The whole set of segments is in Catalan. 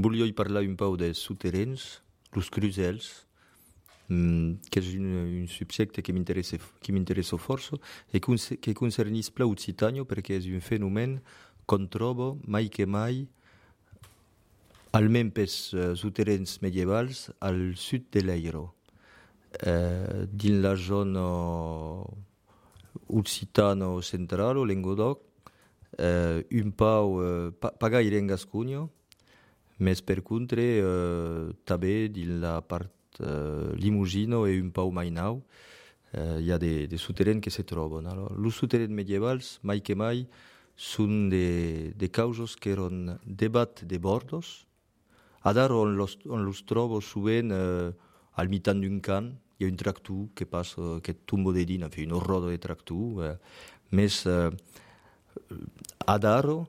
Volia parlar un peu dels souterrains, los crusels, que és un subjecte que m'interessa força e que concernís plau Occitània perquè és un fenomen qu'on troba mai que mai, almenys pels souterrains medievals, al sud de l'Eiro. Dins la zona occitana central o Languedoc, un peu, pas gaire en Gascònia, mais per contra també dins la part Limousin e un peu mai nou hi ha de souterrains que se troben. Alors, els souterrains medievals, mai que mai, són de causes que eren debat de bordos. Ara on los trobo sovint al mitan d'un camp, hi ha un tractor que passa, que tomba de dins, una roda de tractor. Més ara,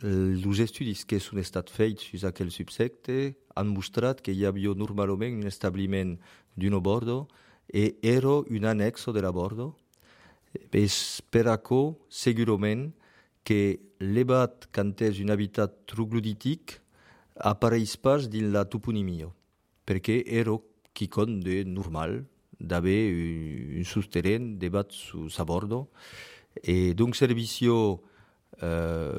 els estudis que són estat fets fins a aquell subjecte han mostrat que hi havia normalment un establiment d'un bordo i era un annexo de la bordo. És per això, segurament, que l'ebat quan és un habitat troglodític apareix pas dins la toponimia, perquè era quelcom de normal d'haver un souterrain debat a bordo. E donc servicio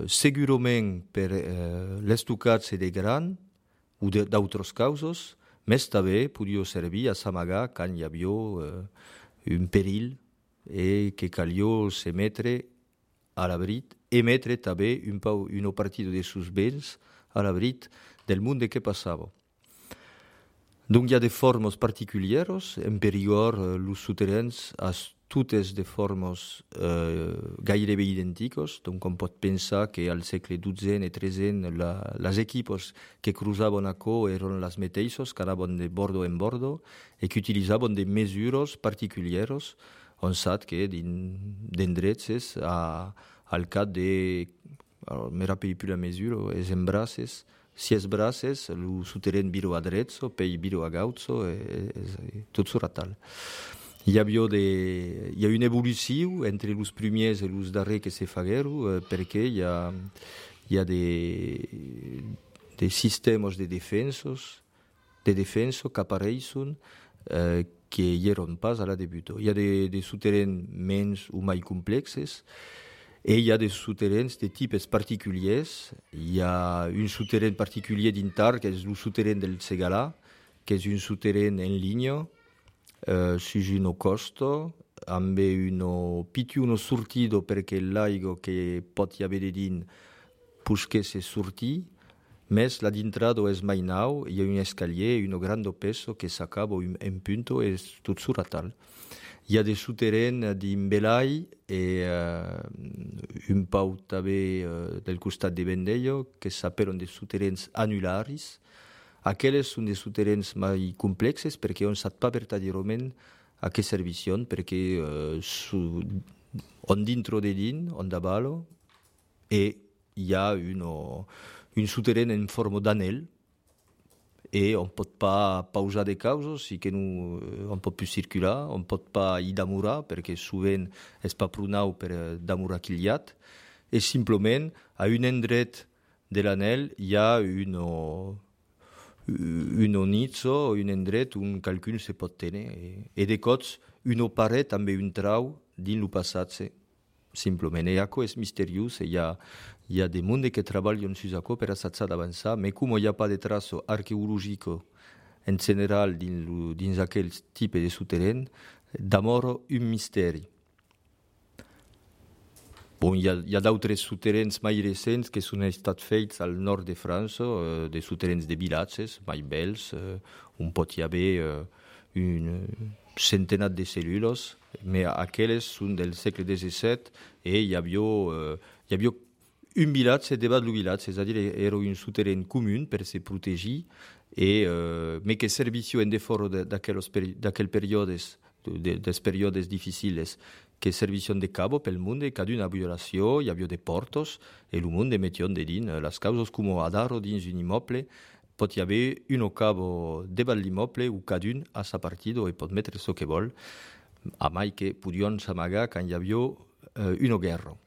segurament per l'estocatge de gran o d'altres causes, més també podia servir a s'amagar quan hi havia un perill e que calia se metre a l'abrit e metre també una partida de sus béns a l'abrit del món que passava. Donc hi ha de formes particulars, en perigor els souterrains a totes de formes gairebé idèntiques. Donc on pot pensar que al segle XII i XIII les equipos que cruzaven això eren les mateixes, que anaven de bordo en bordo i que utilitzaven de mesures particulars. On sap que d'endrets al cap de... Alors, me rappelle plus la mesura, és en braces. Si és braces, el souterrain viro a drezzo, poi viro a gauzo, tot sera tal. Hi ha una evolució entre els primers i els darrers que se fagueren perquè hi ha de sistemes de defensa que apareixen que hi eren pas a la debut. Hi ha de souterrains menys o mai complexes i hi ha de souterrains de tipus particulars. Hi ha un souterrain particular dintar, que és el souterrain del Segalà, que és un souterrain en línia, su una costa, amb un piccolo sortido perché l'aigua che pot haver de dins pogués sortir, més la d'intrada és mai nou, hi ha un escalier i un gran peso que s'acaba en punto i tot sura tal. Hi ha de souterrains d'Imbelai i un peu també del costat de Vendello que s'appellen de souterrains annularis. Aquelles són de souterrains mai complexes perquè on sap pas verdaderament a què serveixen, perquè on dintre de dins, on davant, hi ha un souterrain en forma d'anell i on pot pas pausar de causes i que on pot plus circular, on pot pas hi damurar perquè sovint és pas prou nou per damurar quillat i simplement a un endret de l'anell hi ha un nizzo, un endret on qualcun se pot tenir i de cops una paret amb un trau dins el passatge simplement. I això és misteriós i hi ha de monde que treballen sus això per assatjar d'avançar, però com hi ha pas de traço arqueològico en general dins aquell tipus de souterrain, d'amor un misteri. Bon, hi ha d'altres souterrains mai recents que són estat fets al nord de França, de souterrains de vilatges mai bells, on pot hi haver un centenat de cèl·lules, però aquelles són del segle XVII i hi havia un vilatge debat del vilatge, és a dir, era un souterrain comú per se protegir, però que servicia en defort d'aquells períodes, dels períodes difícils, que servicien de cabo pel món, cada una violació, hi havia de portes, i el món metia de dins les causes com a dalt dins un immoble, pot hi haver un cabo davant l'immoble o cada un a sa partida i pot metre el que vol, a mai que podien s'amagar quan hi havia una guerra.